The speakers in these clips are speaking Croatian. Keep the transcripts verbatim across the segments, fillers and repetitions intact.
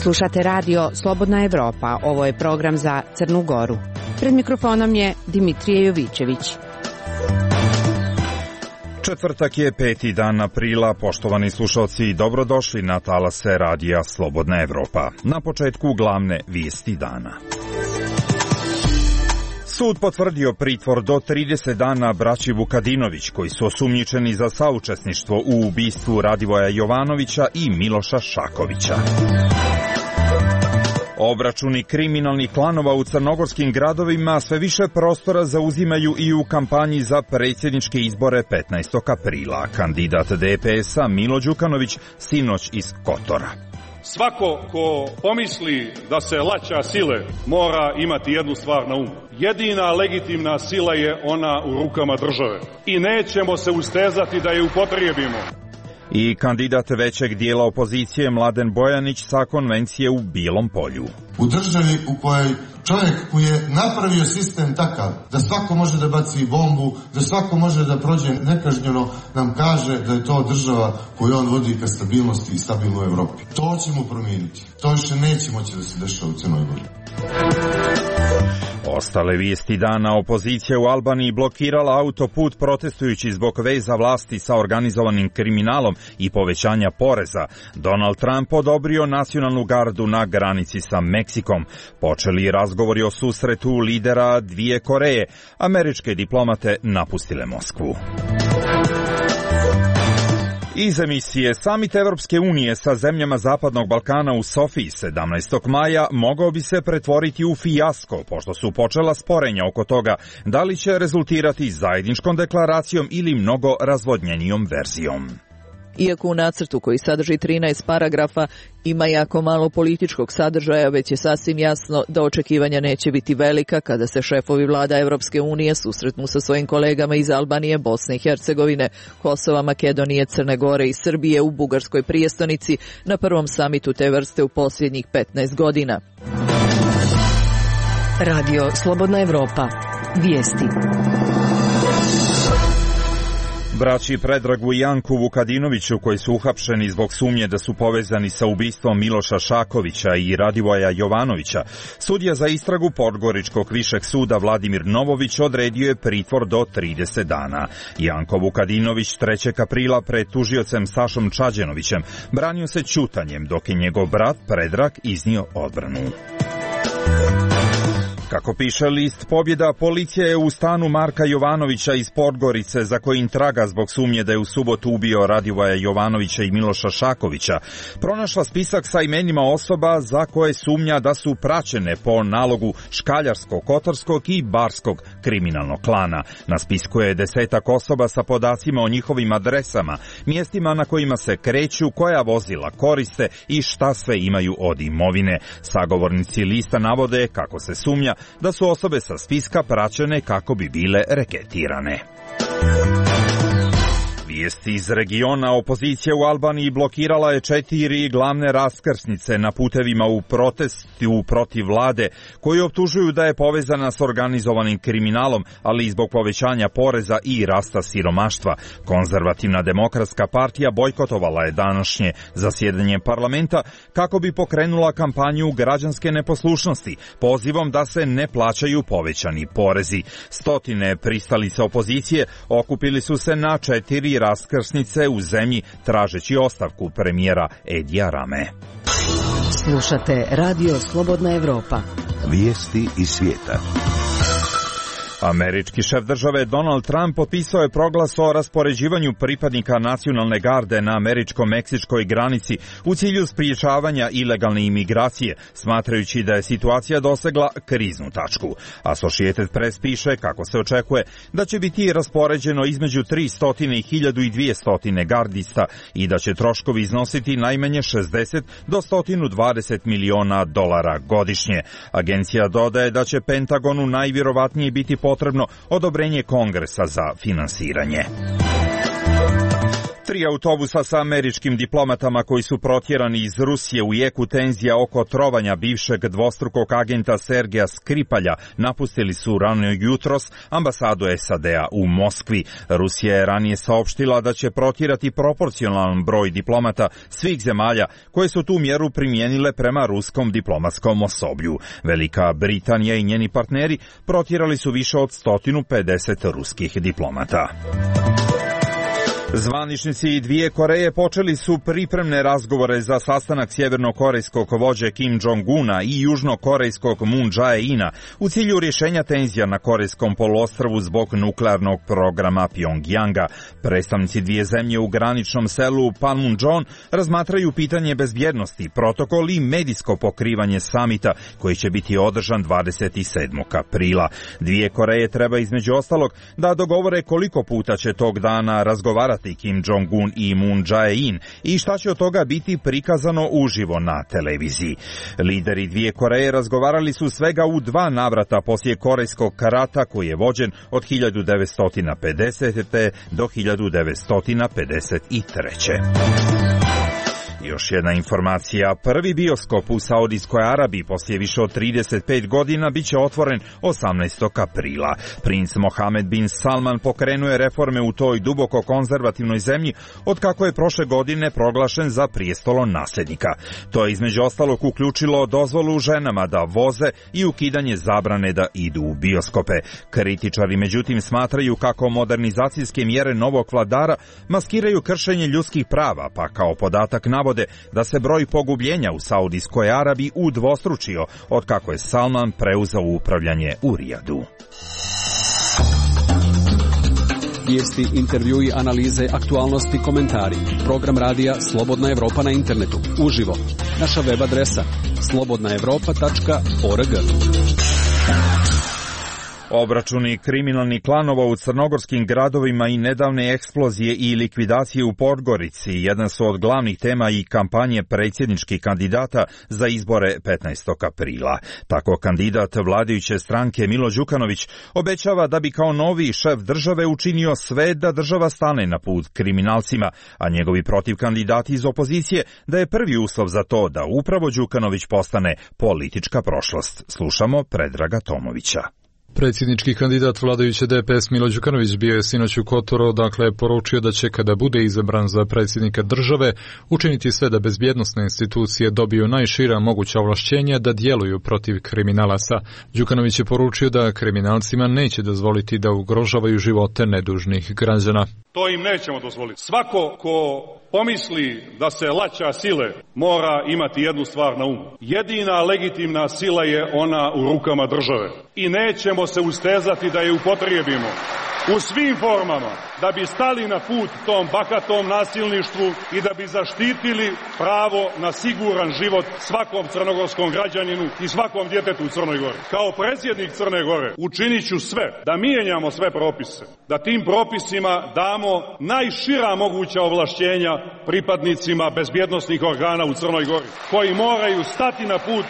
Slušate radio Slobodna Evropa, ovo je program za Crnu Goru. Pred mikrofonom je Dimitrije Jovićević. Četvrtak je peti dan aprila, poštovani slušalci, dobrodošli na talase radija Slobodna Evropa. Na početku glavne vijesti dana. Sud potvrdio pritvor do trideset dana braći Vukadinović, koji su osumnjičeni za saučesništvo u ubistvu Radivoja Jovanovića i Miloša Šakovića. Obračuni kriminalnih klanova u crnogorskim gradovima sve više prostora zauzimaju i u kampanji za predsjedničke izbore petnaestog aprila. Kandidat D P S-a Milo Đukanović sinoć iz Kotora. Svako ko pomisli da se laća sile mora imati jednu stvar na umu. Jedina legitimna sila je ona u rukama države i nećemo se ustezati da je upotrijebimo. I kandidat većeg dijela opozicije Mladen Bojanić sa konvencije u Bilom polju. U državi u kojoj čovjek koji je napravio sistem takav da svako može da baci bombu, da svako može da prođe nekažnjeno, nam kaže da je to država koju on vodi ka stabilnosti i stabilnoj Evropi. To ćemo promijeniti. To više neće moći da se dešava u Crnoj Gori. Ostale vijesti dana: opozicija u Albaniji blokirala autoput protestujući zbog veza vlasti sa organizovanim kriminalom i povećanja poreza. Donald Trump odobrio nacionalnu gardu na granici sa Meksikom. Počeli razgovori o susretu lidera dvije Koreje. Američke diplomate napustile Moskvu. Iz emisije Samit Evropske unije sa zemljama Zapadnog Balkana u Sofiji sedamnaestog maja mogao bi se pretvoriti u fijasko, pošto su počela sporenja oko toga da li će rezultirati zajedničkom deklaracijom ili mnogo razvodnjenijom verzijom. Iako u nacrtu, koji sadrži trinaest paragrafa, ima jako malo političkog sadržaja, već je sasvim jasno da očekivanja neće biti velika kada se šefovi vlada Evropske unije susretnu sa svojim kolegama iz Albanije, Bosne i Hercegovine, Kosova, Makedonije, Crne Gore i Srbije u bugarskoj prijestonici na prvom samitu te vrste u posljednjih petnaest godina. Radio Slobodna Evropa. Vijesti. Braći Predragu i Janku Vukadinoviću, koji su uhapšeni zbog sumnje da su povezani sa ubistvom Miloša Šakovića i Radivoja Jovanovića, sudija za istragu Podgoričkog višeg suda Vladimir Novović odredio je pritvor do trideset dana. Janko Vukadinović trećeg aprila pred tužiocem Sašom Čađenovićem branio se ćutanjem, dok je njegov brat Predrag iznio odbranu. Kako piše list Pobjeda, policija je u stanu Marka Jovanovića iz Podgorice, za kojim traga zbog sumnje da je u subotu ubio Radivoja Jovanovića i Miloša Šakovića, pronašla spisak sa imenima osoba za koje sumnja da su praćene po nalogu škaljarskog, kotorskog i barskog kriminalnog klana. Na spisku je desetak osoba sa podacima o njihovim adresama, mjestima na kojima se kreću, koja vozila koriste i šta sve imaju od imovine. Sagovornici lista navode kako se sumnja da su osobe sa spiska praćene kako bi bile reketirane. Vijesti iz regiona: opozicija u Albaniji blokirala je četiri glavne raskrsnice na putevima u protestu protiv vlade, koji optužuju da je povezana s organizovanim kriminalom, ali i zbog povećanja poreza i rasta siromaštva. Konzervativna demokratska partija bojkotovala je današnje zasjedanje parlamenta kako bi pokrenula kampanju građanske neposlušnosti, pozivom da se ne plaćaju povećani porezi. Stotine pristalica opozicije okupili su se na četiri raskrsnice u zemlji tražeći ostavku premijera Edija Rame. Slušate radio Slobodna Evropa. Vijesti iz svijeta. Američki šef države Donald Trump potpisao je proglas o raspoređivanju pripadnika nacionalne garde na američko-meksičkoj granici u cilju spriječavanja ilegalne imigracije, smatrajući da je situacija dosegla kriznu tačku. Associated Press piše kako se očekuje da će biti raspoređeno između tristo i hiljadu dvjesto gardista i da će troškovi iznositi najmanje šezdeset do sto dvadeset miliona dolara godišnje. Agencija dodaje da će Pentagonu najvjerovatnije biti potrebno odobrenje Kongresa za finansiranje. Tri autobusa sa američkim diplomatama koji su protjerani iz Rusije u jeku tenzija oko trovanja bivšeg dvostrukog agenta Sergeja Skripalja napustili su rano jutros ambasadu S A D-a u Moskvi. Rusija je ranije saopštila da će protjerati proporcionalan broj diplomata svih zemalja koje su tu mjeru primijenile prema ruskom diplomatskom osoblju. Velika Britanija i njeni partneri protjerali su više od sto pedeset ruskih diplomata. Zvaničnici dvije Koreje počeli su pripremne razgovore za sastanak sjevernokorejskog vođe Kim Jong-una i južnokorejskog Moon Jae-ina u cilju rješenja tenzija na Korejskom poluostrvu zbog nuklearnog programa Pjongjanga. Predstavnici dvije zemlje u graničnom selu Panmunjom razmatraju pitanje bezbjednosti, protokol i medijsko pokrivanje samita koji će biti održan dvadeset sedmog aprila. Dvije Koreje treba između ostalog da dogovore koliko puta će tog dana razgovarati Kim Jong-un i Moon Jae-in i šta će od toga biti prikazano uživo na televiziji. Lideri dvije Koreje razgovarali su svega u dva navrata poslije korejskog rata koji je vođen od hiljadu devetsto pedesete. do hiljadu devetsto pedeset treće. Još jedna informacija. Prvi bioskop u Saudijskoj Arabiji poslije više od trideset pet godina bit će otvoren osamnaestog aprila. Princ Mohamed bin Salman pokrenuo je reforme u toj duboko konzervativnoj zemlji od kako je prošle godine proglašen za prijestolon nasljednika. To je između ostalog uključilo dozvolu ženama da voze i ukidanje zabrane da idu u bioskope. Kritičari međutim smatraju kako modernizacijske mjere novog vladara maskiraju kršenje ljudskih prava, pa kao podatak navode da se broj pogubljenja u Saudijskoj Arabiji udvostručio od kako je Salman preuzeo upravljanje u Rijadu. Vijesti, intervjui, analize, aktualnosti, komentari. Program radija Slobodna Evropa na internetu. Uživo. Naša web adresa slobodna evropa tačka org. Obračuni kriminalnih klanova u crnogorskim gradovima i nedavne eksplozije i likvidacije u Podgorici jedan su od glavnih tema i kampanje predsjedničkih kandidata za izbore petnaestog aprila. Tako kandidat vladajuće stranke Milo Đukanović obećava da bi kao novi šef države učinio sve da država stane na put kriminalcima, a njegovi protivkandidati iz opozicije da je prvi uslov za to da upravo Đukanović postane politička prošlost. Slušamo Predraga Tomovića. Predsjednički kandidat vladajuće D P S Milo Đukanović bio je sinoć u Kotoru, dakle je poručio da će kada bude izabran za predsjednika države učiniti sve da bezbjednosne institucije dobiju najšira moguća ovlašćenja da djeluju protiv kriminalaca. Đukanović je poručio da kriminalcima neće dozvoliti da ugrožavaju živote nedužnih građana. To im nećemo dozvoliti. Svako ko pomisli da se laća sile mora imati jednu stvar na umu. Jedina legitimna sila je ona u rukama države. I nećemo se ustezati da je upotrijebimo u svim formama da bi stali na put tom bakatom nasilništvu i da bi zaštitili pravo na siguran život svakom crnogorskom građaninu i svakom djetetu u Crnoj Gori. Kao predsjednik Crne Gore učinit ću sve da mijenjamo sve propise, da tim propisima damo najšira moguća ovlašćenja pripadnicima bezbjednosnih organa u Crnoj Gori, koji moraju stati na put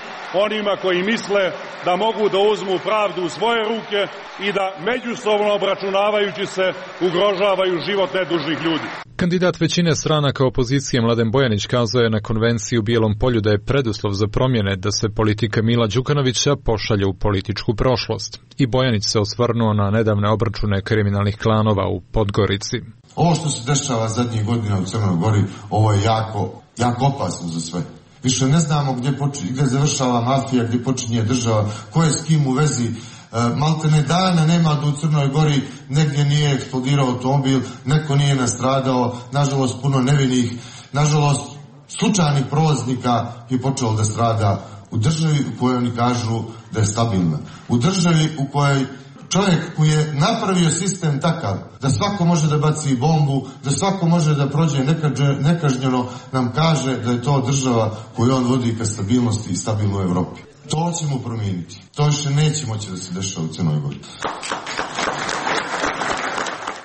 onima koji misle da mogu da uzmu pravdu u svoje ruke i da međusobno obračunavajući se ugrožavaju život nedužnih ljudi. Kandidat većine stranaka opozicije Mladen Bojanić kazao je na konvenciji u Bijelom polju da je preduslov za promjene da se politika Mila Đukanovića pošalje u političku prošlost. I Bojanić se osvrnuo na nedavne obračune kriminalnih klanova u Podgorici. Ovo što se dešava zadnjih godina u Crnoj Gori, ovo je jako, jako opasno za sve. Više ne znamo gdje, počinje, gdje završava mafija, gdje počinje država, ko je s kim u vezi. E, maltene dana nema da u Crnoj Gori negdje nije eksplodirao automobil, neko nije nastradao, nažalost puno nevinih, nažalost slučajnih prolaznika je počelo da strada u državi u kojoj oni kažu da je stabilna. U državi u kojoj čovjek koji je napravio sistem takav da svako može da baci bombu, da svako može da prođe nekažnjeno, nam kaže da je to država koju on vodi ka stabilnosti i stabilnoj Evropi. To ćemo promijeniti. To više neće moći da se dešava u Crnoj Gori.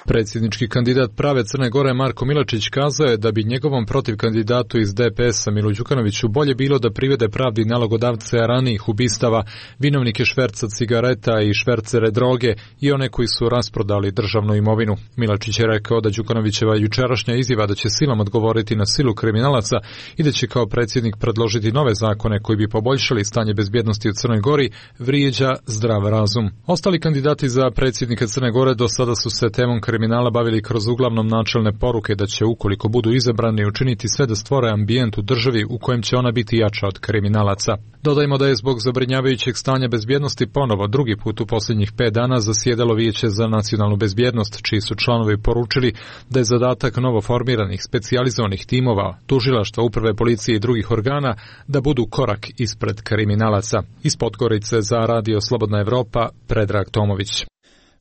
Predsjednički kandidat Prave Crne Gore Marko Milačić kazao je da bi njegovom protiv kandidatu iz D P S-a Milu Đukanoviću bolje bilo da privede pravdi nalogodavce ranijih ubistava, vinovnike šverca cigareta i švercere droge i one koji su rasprodali državnu imovinu. Milačić je rekao da Đukanovićeva jučerašnja izjava da će silom odgovoriti na silu kriminalaca i da će kao predsjednik predložiti nove zakone koji bi poboljšali stanje bezbjednosti u Crnoj Gori vrijeđa zdrav razum. Ostali kandidati za predsjednika Crne Gore do sada su se temom kriminala bavili kroz uglavnom načelne poruke da će, ukoliko budu izabrani, učiniti sve da stvore ambijent u državi u kojem će ona biti jača od kriminalaca. Dodajmo da je zbog zabrinjavajućeg stanja bezbjednosti ponovo drugi put u posljednjih pet dana zasjedalo Vijeće za nacionalnu bezbjednost, čiji su članovi poručili da je zadatak novoformiranih specijalizovanih timova, tužilaštva, uprave policije i drugih organa da budu korak ispred kriminalaca. Iz Podgorice za Radio Slobodna Evropa, Predrag Tomović.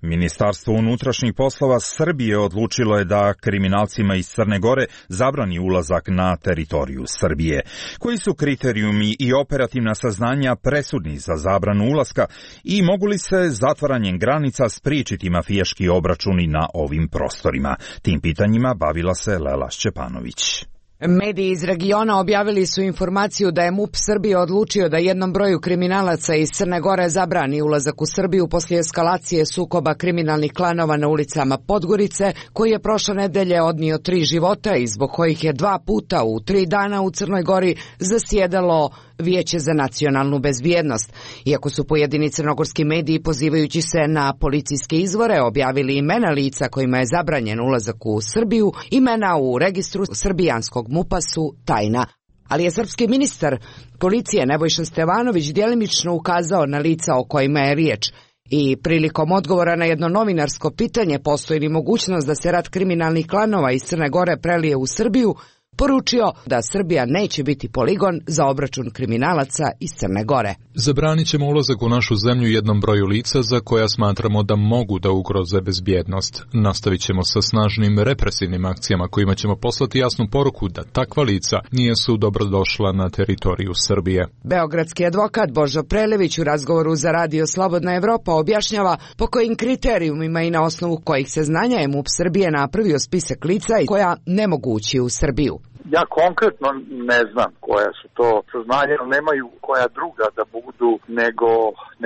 Ministarstvo unutrašnjih poslova Srbije odlučilo je da kriminalcima iz Crne Gore zabrani ulazak na teritoriju Srbije. Koji su kriterijumi i operativna saznanja presudni za zabranu ulaska i mogu li se zatvaranjem granica spriječiti mafijaški obračuni na ovim prostorima? Tim pitanjima bavila se Lela Šćepanović. Mediji iz regiona objavili su informaciju da je M U P Srbije odlučio da jednom broju kriminalaca iz Crne Gore zabrani ulazak u Srbiju poslije eskalacije sukoba kriminalnih klanova na ulicama Podgorice, koji je prošle nedelje odnio tri života i zbog kojih je dva puta u tri dana u Crnoj Gori zasjedalo Vijeće za nacionalnu bezbjednost. Iako su pojedini crnogorski mediji, pozivajući se na policijske izvore, objavili imena lica kojima je zabranjen ulazak u Srbiju, imena u registru srbijanskog M U P-a su tajna. Ali je srpski ministar policije Nebojša Stevanović djelimično ukazao na lica o kojima je riječ. I prilikom odgovora na jedno novinarsko pitanje postoji li mogućnost da se rat kriminalnih klanova iz Crne Gore prelije u Srbiju, poručio da Srbija neće biti poligon za obračun kriminalaca iz Crne Gore. Zabranit ćemo ulazak u našu zemlju jednom broju lica za koja smatramo da mogu da ugroze bezbjednost. Nastavit ćemo sa snažnim represivnim akcijama kojima ćemo poslati jasnu poruku da takva lica nisu dobrodošla na teritoriju Srbije. Beogradski advokat Božo Prelević u razgovoru za Radio Slobodna Evropa objašnjava po kojim kriterijumima i na osnovu kojih se znanja je M U P Srbije napravio spisak lica koja ne mogu ući u Srbiju. Ja konkretno ne znam koja su to saznanja, ali nemaju koja druga da budu nego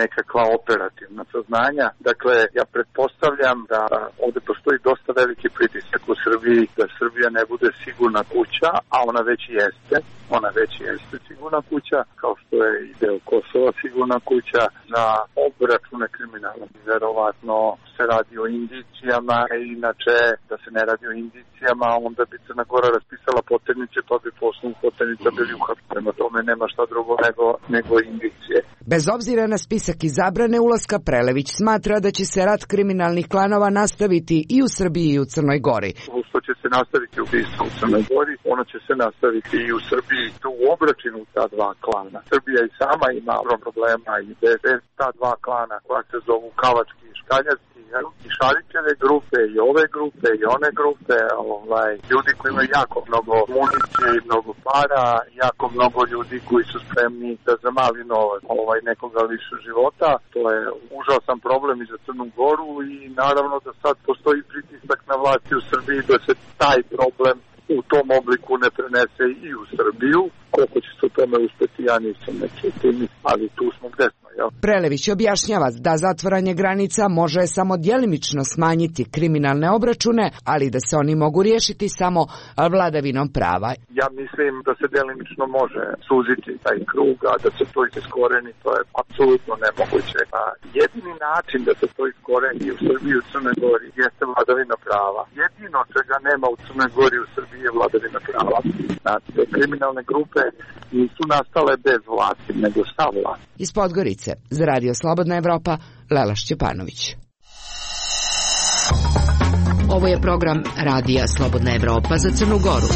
nekakva operativna saznanja. Dakle, ja pretpostavljam da ovdje postoji dosta veliki pritisak u Srbiji da Srbija ne bude sigurna kuća, a ona već jeste. Ona već jeste sigurna kuća, kao što je i deo Kosova sigurna kuća za obračune kriminala. Verovatno se radi o indicijama, a inače da se ne radi o indicijama, onda bi Crna Gora raspisala poternice, pa bi poslu poternica bili uhapšeni. Prema tome nema šta drugo nego, nego indicije. Bez obzira na spisak i zabrane ulaska, Prelević smatra da će se rat kriminalnih klanova nastaviti i u Srbiji i u Crnoj Gori. Što će se nastaviti ubistvo u Crnoj Gori, ono će se nastaviti i u Srbiji, tu u obračunu ta dva klana. Srbija i sama ima problema i bez ta dva klana koja se zovu Kavački i Škaljarski, i Šarićeve grupe, i ove grupe, i one grupe, ovaj, ljudi koji imaju jako mnogo municije i mnogo para, jako mnogo ljudi koji su spremni da za mali novac ovaj, nekoga lišu života. To je užasan problem i za Crnu Goru i naravno da sad postoji pritisak na vlasti u Srbiji da se taj problem u tom obliku ne prenese i u Srbiju. Koliko će se u tome uspjeti, ja nisam neki tim, ali tu smo gde smo. Jel? Prelević objašnjava da zatvaranje granica može samo djelimično smanjiti kriminalne obračune, ali da se oni mogu riješiti samo vladavinom prava. Ja mislim da se djelimično može suziti taj krug, a da se to iskoreni, to je apsolutno nemoguće. A jedini način da se to iskoreni u Srbiji i u Crnoj Gori jeste vladavina prava. Jedino čega nema u Crnoj Gori i u Srbiji je vladavina prava. Znači, kriminalne grupe nisu nastale bez vlasti, nego sa vlasti. Iz Podgorice, za Radio Slobodna Evropa, Lela Šćepanović. Ovo je program Radija Slobodna Evropa za Crnu Goru.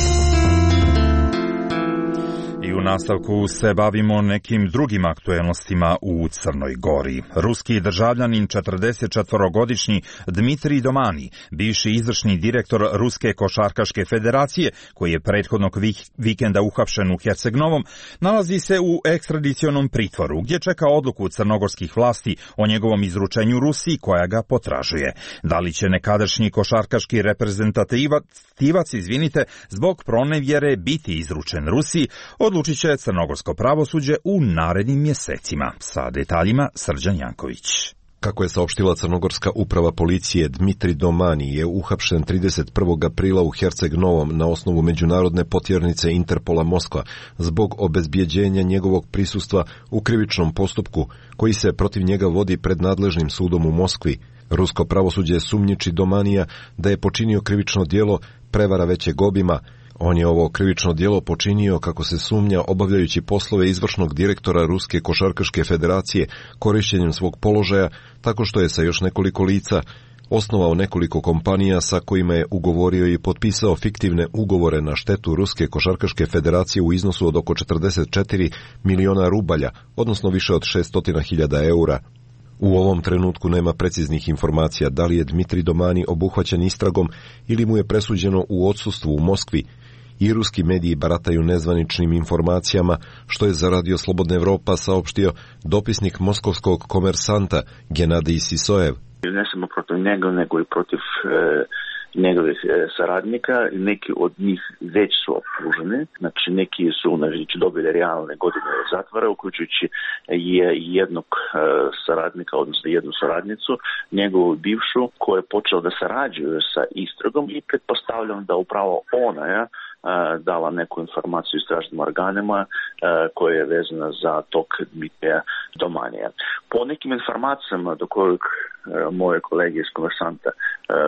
I I u nastavku se bavimo nekim drugim aktuelnostima u Crnoj Gori. Ruski državljanin četrdesetčetvorogodišnji Dmitrij Domani, bivši izvršni direktor Ruske košarkaške federacije, koji je prethodnog vikenda uhapšen u Herceg-Novom, nalazi se u ekstradicionom pritvoru, gdje čeka odluku crnogorskih vlasti o njegovom izručenju Rusiji, koja ga potražuje. Da li će nekadašnji košarkaški reprezentativac, izvinite, zbog pronevjere biti izručen Rusiji, odlučit će crnogorsko pravosuđe u narednim mjesecima. Sa detaljima Srđan Janković. Kako je saopštila crnogorska uprava policije, Dmitrij Domani je uhapšen trideset prvog aprila u Herceg-Novom na osnovu međunarodne potjernice Interpola Moskva zbog obezbjeđenja njegovog prisustva u krivičnom postupku koji se protiv njega vodi pred nadležnim sudom u Moskvi. Rusko pravosuđe sumnjiči Domanija da je počinio krivično djelo prevara većeg obima. On je ovo krivično djelo počinio, kako se sumnja, obavljajući poslove izvršnog direktora Ruske košarkaške federacije korištenjem svog položaja, tako što je sa još nekoliko lica osnovao nekoliko kompanija sa kojima je ugovorio i potpisao fiktivne ugovore na štetu Ruske košarkaške federacije u iznosu od oko četrdeset četiri miliona rubalja, odnosno više od šesto hiljada eura. U ovom trenutku nema preciznih informacija da li je Dmitrij Domani obuhvaćen istragom ili mu je presuđeno u odsustvu u Moskvi. I ruski mediji barataju nezvaničnim informacijama, što je za Radio Slobodna Evropa saopštio dopisnik moskovskog Komersanta Genadij Sisojev. Ne samo protiv njega, nego i protiv e, njegovih e, saradnika. Neki od njih već su optuženi. Znači, neki su znači, dobili realne godine zatvora, uključujući je jednog e, saradnika, odnosno jednu saradnicu, njegovu bivšu, koja je počela da sarađuje sa istragom i pretpostavljam da upravo ona je dala neku informaciju istražnim organima koja je vezana za tok Dmitrija Domanija. Po nekim informacijama do kojeg moje kolege iz Komersanta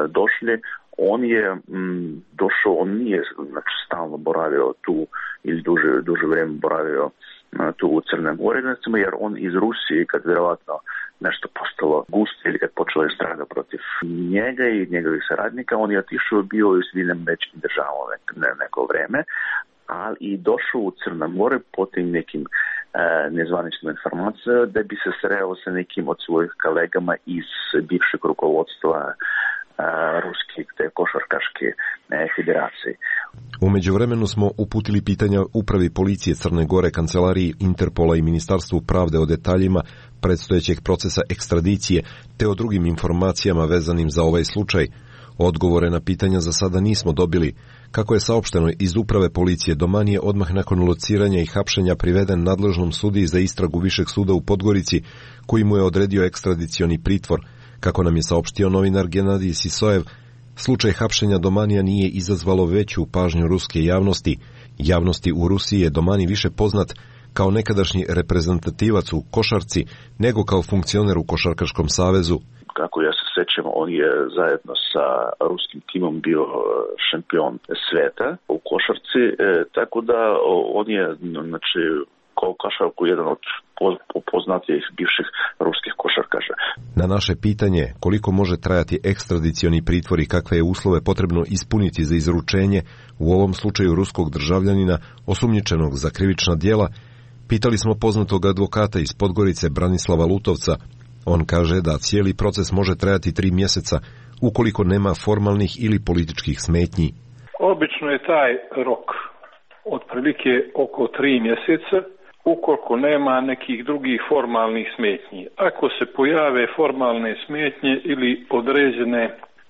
došli, on je m, došao, on nije znači, stalno boravio tu ili duže, duže vrijeme boravio tu u Crnoj Gori, jer on iz Rusije, kad vjerovatno nešto postalo gusto ili kad počela istraga protiv njega i njegovih saradnika, on je otišao, bio u Sjedinjenim Američkim Državama ne, neko vrijeme, ali i došao u Crnu Goru po tim nekim e, nezvaničnim informacijama da bi se sreo sa nekim od svojih kolegama iz bivšeg rukovodstva Ruske te košarkaške federacije. U međuvremenu smo uputili pitanja upravi policije Crne Gore, kancelariji Interpola i Ministarstvu pravde o detaljima predstojećeg procesa ekstradicije te o drugim informacijama vezanim za ovaj slučaj. Odgovore na pitanja za sada nismo dobili. Kako je saopšteno iz uprave policije, Domani je odmah nakon lociranja i hapšenja priveden nadležnom sudiji za istragu Višeg suda u Podgorici, koji mu je odredio ekstradicioni pritvor. Kako nam je saopštio novinar Genadij Sisojev, slučaj hapšenja Domanija nije izazvalo veću pažnju ruske javnosti. Javnosti u Rusiji je Domani više poznat kao nekadašnji reprezentativac u košarci nego kao funkcioner u Košarkaškom savezu. Kako ja se sjećam, on je zajedno sa ruskim timom bio šampion sveta u košarci, e, tako da on je znači, kao košarku jedan od poznatijih bivših ruskih košarkaša. Na naše pitanje koliko može trajati ekstradicioni pritvor i kakve je uslove potrebno ispuniti za izručenje, u ovom slučaju ruskog državljanina osumnjičenog za krivična djela, pitali smo poznatog advokata iz Podgorice Branislava Lutovca. On kaže da cijeli proces može trajati tri mjeseca ukoliko nema formalnih ili političkih smetnji. Obično je taj rok otprilike oko tri mjeseca ukoliko nema nekih drugih formalnih smetnji. Ako se pojave formalne smetnje ili određene,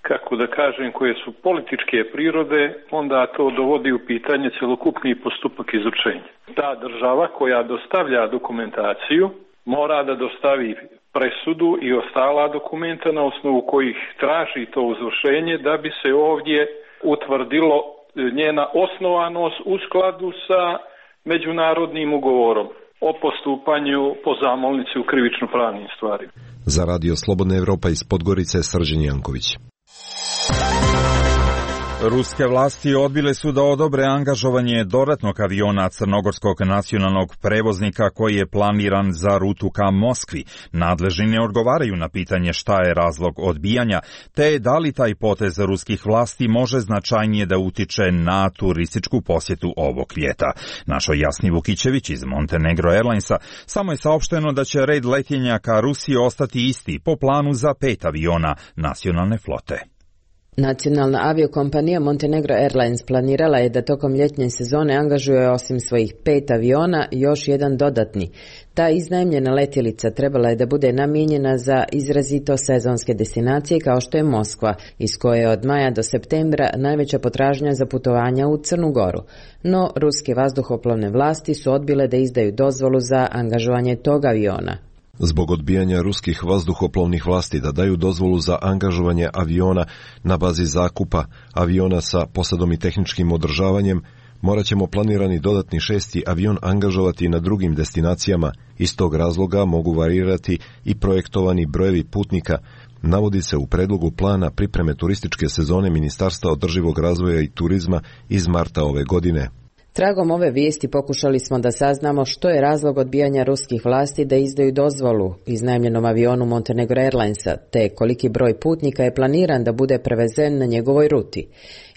kako da kažem, koje su političke prirode, onda to dovodi u pitanje cjelokupni postupak izručenja. Ta država koja dostavlja dokumentaciju mora da dostavi presudu i ostala dokumenta na osnovu kojih traži to izvršenje da bi se ovdje utvrdilo njena osnovanost u skladu sa međunarodnim ugovorom o postupanju po zamolnici u krivično-pravnim stvarima. Za Radio Slobodna Evropa iz Podgorice, Srđan Janković. Ruske vlasti odbile su da odobre angažovanje dodatnog aviona crnogorskog nacionalnog prevoznika koji je planiran za rutu ka Moskvi. Nadležni ne odgovaraju na pitanje šta je razlog odbijanja, te da li taj potez ruskih vlasti može značajnije da utiče na turističku posjetu ovog ljeta. Našo Jasni Vukićević iz Montenegro Airlinesa samo je saopšteno da će red letenja ka Rusiji ostati isti po planu za pet aviona nacionalne flote. Nacionalna aviokompanija Montenegro Airlines planirala je da tokom ljetnje sezone angažuje osim svojih pet aviona još jedan dodatni. Ta iznajmljena letjelica trebala je da bude namijenjena za izrazito sezonske destinacije kao što je Moskva, iz koje je od maja do septembra najveća potražnja za putovanja u Crnu Goru. No, ruske vazduhoplovne vlasti su odbile da izdaju dozvolu za angažovanje tog aviona. Zbog odbijanja ruskih vazduhoplovnih vlasti da daju dozvolu za angažovanje aviona na bazi zakupa aviona sa posadom i tehničkim održavanjem, morat ćemo planirani dodatni šesti avion angažovati na drugim destinacijama. Iz tog razloga mogu varirati i projektovani brojevi putnika, navodi se u predlogu plana pripreme turističke sezone Ministarstva održivog razvoja i turizma iz marta ove godine. Tragom ove vijesti pokušali smo da saznamo što je razlog odbijanja ruskih vlasti da izdaju dozvolu iznajmljenom avionu Montenegro Airlinesa, te koliki broj putnika je planiran da bude prevezen na njegovoj ruti.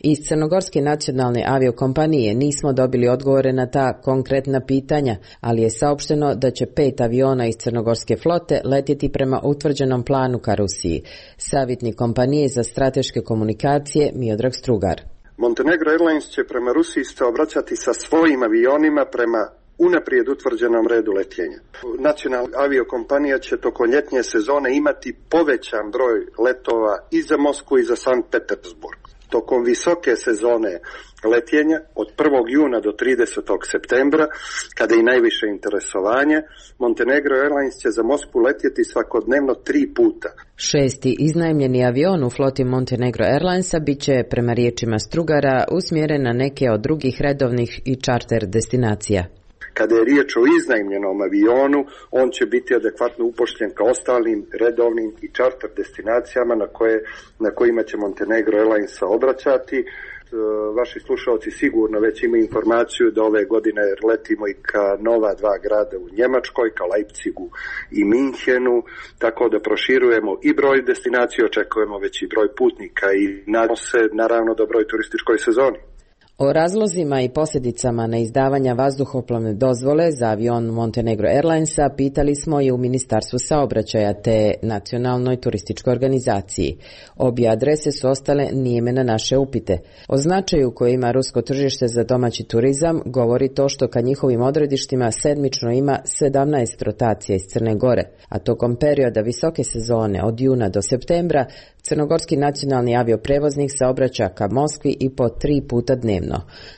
Iz Crnogorske nacionalne aviokompanije nismo dobili odgovore na ta konkretna pitanja, ali je saopšteno da će pet aviona iz crnogorske flote letjeti prema utvrđenom planu ka Rusiji. Savjetnik kompanije za strateške komunikacije Miodrag Strugar. Montenegro Airlines će prema Rusiji se obraćati sa svojim avionima prema unaprijed utvrđenom redu letenja. Nacionalna aviokompanija će tokom ljetnje sezone imati povećan broj letova i za Moskvu i za Sankt Petersburg. Tokom visoke sezone letenja od prvog juna do tridesetog septembra, kada je i najviše interesovanje, Montenegro Airlines će za Moskvu letjeti svakodnevno tri puta. Šesti iznajmljeni avion u floti Montenegro Airlinesa bit će, prema riječima Strugara, usmjeren na neke od drugih redovnih i čarter destinacija. Kada je riječ o iznajmljenom avionu, on će biti adekvatno upošljen ka ostalim redovnim i čarter destinacijama na, koje, na kojima će Montenegro Airlines obraćati. Vaši slušalci sigurno već imaju informaciju da ove godine letimo i ka nova dva grada u Njemačkoj, ka Leipzigu i Minhenu, tako da proširujemo i broj destinacija, očekujemo veći broj putnika i nadamo se naravno dobroj turističkoj sezoni. O razlozima i posljedicama neizdavanja vazduhoplovne dozvole za avion Montenegro Airlinesa pitali smo i u Ministarstvu saobraćaja te Nacionalnoj turističkoj organizaciji. Obje adrese su ostale nijeme na naše upite. O značaju koje ima rusko tržište za domaći turizam govori to što ka njihovim odredištima sedmično ima sedamnaest rotacija iz Crne Gore, a tokom perioda visoke sezone od juna do septembra crnogorski nacionalni avioprevoznik saobraća ka Moskvi i po tri puta dnevno.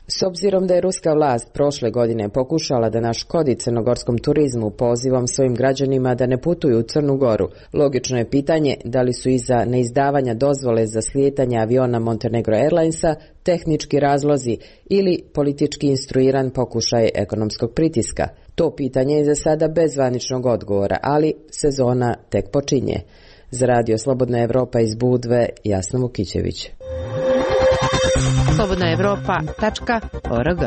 S obzirom da je ruska vlast prošle godine pokušala da naškodi crnogorskom turizmu pozivom svojim građanima da ne putuju u Crnu Goru, logično je pitanje da li su iza neizdavanja dozvole za slijetanje aviona Montenegro Airlinesa tehnički razlozi ili politički instruiran pokušaj ekonomskog pritiska. To pitanje je za sada bez zvaničnog odgovora, ali sezona tek počinje. Za Radio Slobodna Evropa iz Budve, Jasna Vukićević. slobodna evropa tačka org.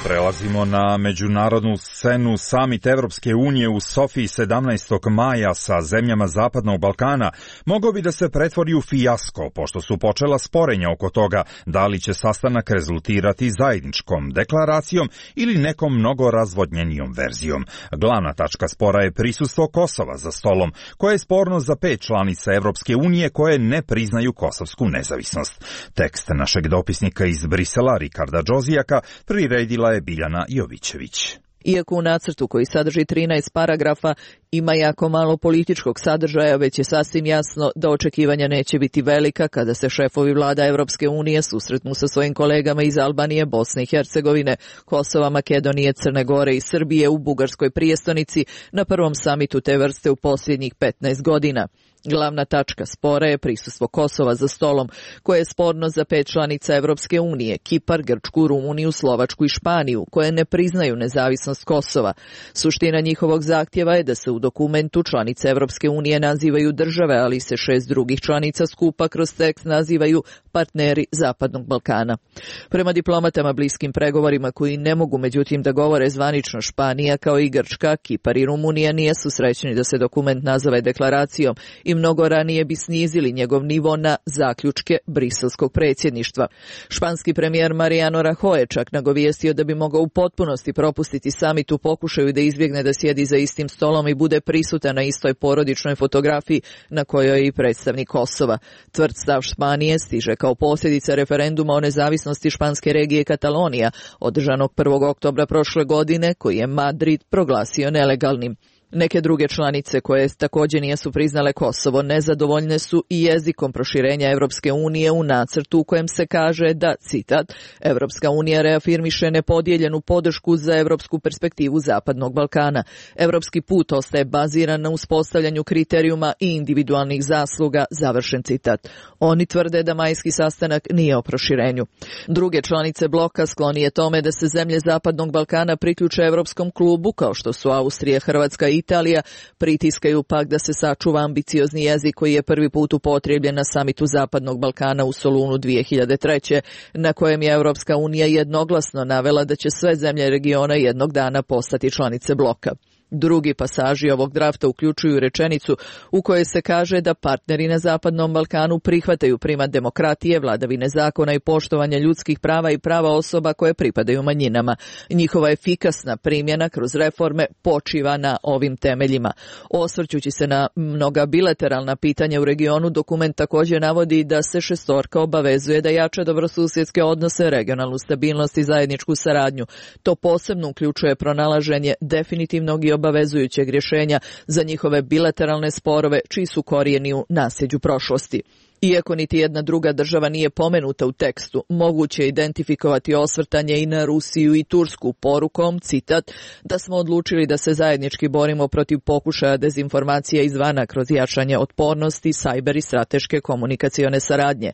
Prelazimo na međunarodnu scenu. Samit Evropske unije u Sofiji sedamnaestog maja sa zemljama Zapadnog Balkana mogao bi da se pretvori u fijasko, pošto su počela sporenja oko toga da li će sastanak rezultirati zajedničkom deklaracijom ili nekom mnogo razvodnjenijom verzijom. Glavna tačka spora je prisustvo Kosova za stolom, koje je sporno za pet članica Evropske unije koje ne priznaju kosovsku nezavisnost. Tekst našeg dopisnika iz Brisela, Rikarda Džozijaka, priredila je Biljana Jovićević. Iako u nacrtu koji sadrži trinaest paragrafa ima jako malo političkog sadržaja, već je sasvim jasno da očekivanja neće biti velika kada se šefovi vlada Evropske unije susretnu sa svojim kolegama iz Albanije, Bosne i Hercegovine, Kosova, Makedonije, Crne Gore i Srbije u bugarskoj prijestonici na prvom samitu te vrste u posljednjih petnaest godina. Glavna tačka spora je prisustvo Kosova za stolom, koje je sporno za pet članica Evropske unije, Kipar, Grčku, Rumuniju, Slovačku i Španiju, koje ne priznaju nezavisnost Kosova. Suština njihovog zahtjeva je da se u dokumentu članice Evropske unije nazivaju države, ali se šest drugih članica skupa kroz tekst nazivaju partneri Zapadnog Balkana. Prema diplomatama bliskim pregovorima koji ne mogu međutim da govore zvanično, Španija kao i Grčka, Kipar i Rumunija nisu srećni da se dokument nazove deklaracijom i mnogo ranije bi snizili njegov nivo na zaključke briselskog predsjedništva. Španski premijer Mariano Rajoy je čak nagovijestio da bi mogao u potpunosti propustiti samit u pokušaju da izbjegne da sjedi za istim stolom i bude prisutan na istoj porodičnoj fotografiji na kojoj je i predstavnik Kosova. Tvrd stav Španije stiže kao posljedica referenduma o nezavisnosti španske regije Katalonija, održanog prvog oktobra prošle godine, koji je Madrid proglasio nelegalnim. Neke druge članice koje također nisu priznale Kosovo nezadovoljne su i jezikom proširenja Evropske unije u nacrtu u kojem se kaže da, citat, Evropska unija reafirmiše nepodijeljenu podršku za evropsku perspektivu Zapadnog Balkana. Evropski put ostaje baziran na uspostavljanju kriterijuma i individualnih zasluga, završen citat. Oni tvrde da majski sastanak nije o proširenju. Druge članice bloka sklonije tome da se zemlje Zapadnog Balkana priključe Evropskom klubu, kao što su Austrija, Hrvatska i Italija, pritiskaju pak da se sačuva ambiciozni jezik koji je prvi put upotrebljen na samitu Zapadnog Balkana u Solunu dvije hiljade treće, na kojem je Evropska unija jednoglasno navela da će sve zemlje regiona jednog dana postati članice bloka. Drugi pasaži ovog drafta uključuju rečenicu u kojoj se kaže da partneri na Zapadnom Balkanu prihvataju primat demokratije, vladavine zakona i poštovanja ljudskih prava i prava osoba koje pripadaju manjinama. Njihova efikasna primjena kroz reforme počiva na ovim temeljima. Osvrćući se na mnoga bilateralna pitanja u regionu, dokument također navodi da se šestorka obavezuje da jača dobrosusjedske odnose, regionalnu stabilnost i zajedničku saradnju. To posebno uključuje pronalaženje definitivnog i obavezujućeg rješenja za njihove bilateralne sporove čiji su korijeni u nasljeđu prošlosti. Iako niti jedna druga država nije pomenuta u tekstu, moguće je identifikovati osvrtanje i na Rusiju i Tursku porukom, citat, da smo odlučili da se zajednički borimo protiv pokušaja dezinformacija izvana kroz jačanje otpornosti, sajber i strateške komunikacione saradnje.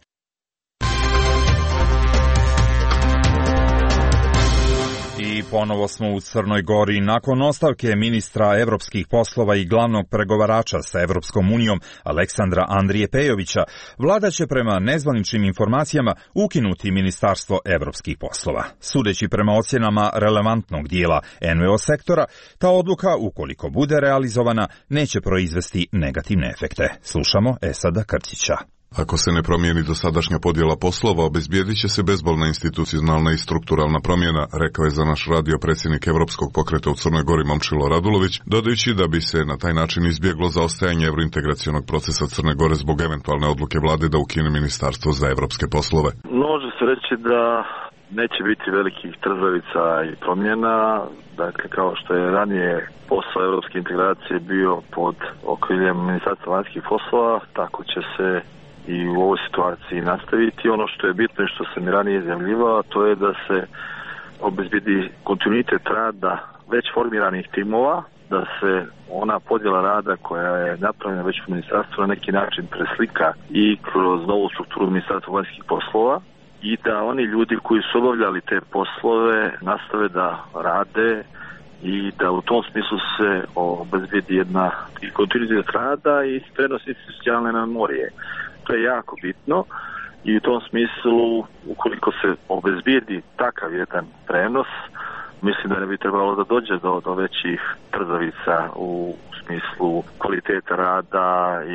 I ponovo smo u Crnoj Gori. Nakon ostavke ministra evropskih poslova i glavnog pregovarača sa Evropskom unijom Aleksandra Andrije Pejovića, vlada će prema nezvaničnim informacijama ukinuti Ministarstvo evropskih poslova. Sudeći prema ocjenama relevantnog dijela en ve o sektora, ta odluka, ukoliko bude realizovana, neće proizvesti negativne efekte. Slušamo Esada Krtića. Ako se ne promijeni dosadašnja podjela poslova, obezbijedit će se bezbolna institucionalna i strukturalna promjena, rekao je za naš radio predsjednik Evropskog pokreta u Crnoj Gori Momčilo Radulović, dodajući da bi se na taj način izbjeglo zaostajanje evrointegracionog procesa Crne Gore zbog eventualne odluke vlade da ukine Ministarstvo za evropske poslove. Može se reći da neće biti velikih trzavica i promjena, dakle kao što je ranije posao evropske integracije bio pod okriljem Ministarstva vanjskih poslova, tako će se i u ovoj situaciji nastaviti. Ono što je bitno i što sam i ranije izjavljivao, to je da se obezbedi kontinuitet rada već formiranih timova, da se ona podjela rada koja je napravljena već u ministarstvu na neki način preslika i kroz novu strukturu Ministarstva vanjskih poslova i da oni ljudi koji su obavljali te poslove nastave da rade i da u tom smislu se obezbedi jedna i kontinuitet rada i prenos institucionalne memorije. To je jako bitno i u tom smislu, ukoliko se obezbijedi takav jedan prenos, mislim da ne bi trebalo da dođe do, do većih trzavica u smislu kvaliteta rada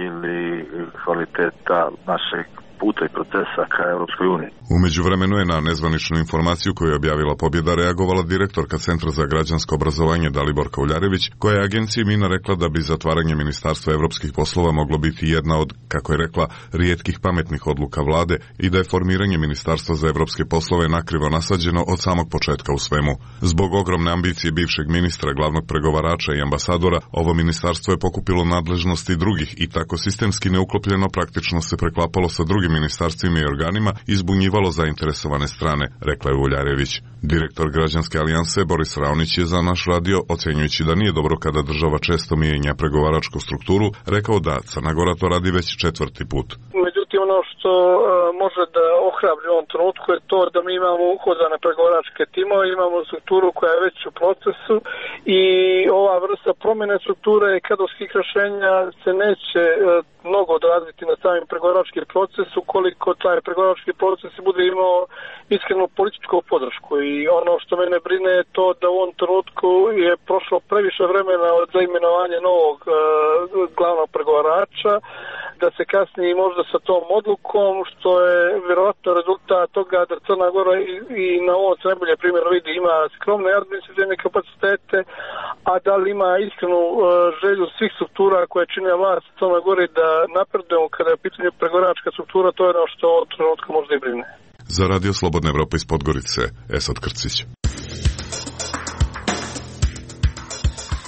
ili kvaliteta našeg puta i procesa ka Europskoj uniji. U međuvremenu je na nezvaničnu informaciju koju je objavila Pobjeda reagovala direktorka Centra za građansko obrazovanje Daliborka Uljarević, koja je agenciji Mina rekla da bi zatvaranje Ministarstva evropskih poslova moglo biti jedna od, kako je rekla, rijetkih pametnih odluka vlade i da je formiranje Ministarstva za evropske poslove nakrivo nasađeno od samog početka u svemu. Zbog ogromne ambicije bivšeg ministra, glavnog pregovarača i ambasadora, ovo ministarstvo je pokupilo nadležnosti drugih i tako sistemski neuklopljeno praktično se preklapalo sa drugim nadležnim ministarstvima i organima izbunjivalo zainteresovane strane, rekla je Uljarević. Direktor Građanske alijanse Boris Raonić je za naš radio, ocenjujući da nije dobro kada država često mijenja pregovaračku strukturu, rekao da Crna Gora to radi već četvrti put. Međutim, ono što uh, može da ohrabri u ovom trenutku je to da mi imamo uhodane pregovaračke timove, imamo strukturu koja je već u procesu i ova vrsta promjene strukture kadrovskih rješenja se neće uh, mnogo odraziti na samim pregovarački proces ukoliko taj pregovarački proces bude imao iskrenu političku podršku. I ono što mene brine je to da u ovom trenutku je prošlo previše vremena od zaimenovanja novog uh, glavnog pregovarača, da se kasnije možda sa tom odlukom, što je vjerojatno rezultat toga da Crna Gora i, i na ovom se najbolje primjer vidi ima skromne administrativne kapacitete, a da li ima iskrenu uh, želju svih struktura koje čine vlast Crna Gori da napredujemo kada je pitanje pregovaračka struktura, to je ono što od trenutka možda i brine. Za Radio Slobodna Evropa iz Podgorice, Esad Krcić.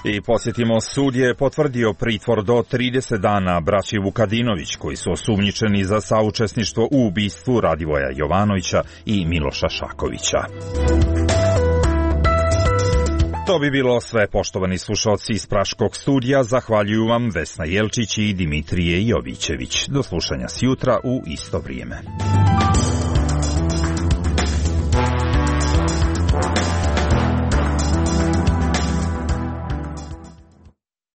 I posjetimo, sud je potvrdio pritvor do trideset dana braći Vukadinović, koji su osumnjičeni za saučesništvo u ubistvu Radivoja Jovanovića i Miloša Šakovića. To bi bilo sve, poštovani slušalci iz Praškog studija. Zahvaljuju vam Vesna Jelčić i Dimitrije Jovićević. Do slušanja sjutra u isto vrijeme.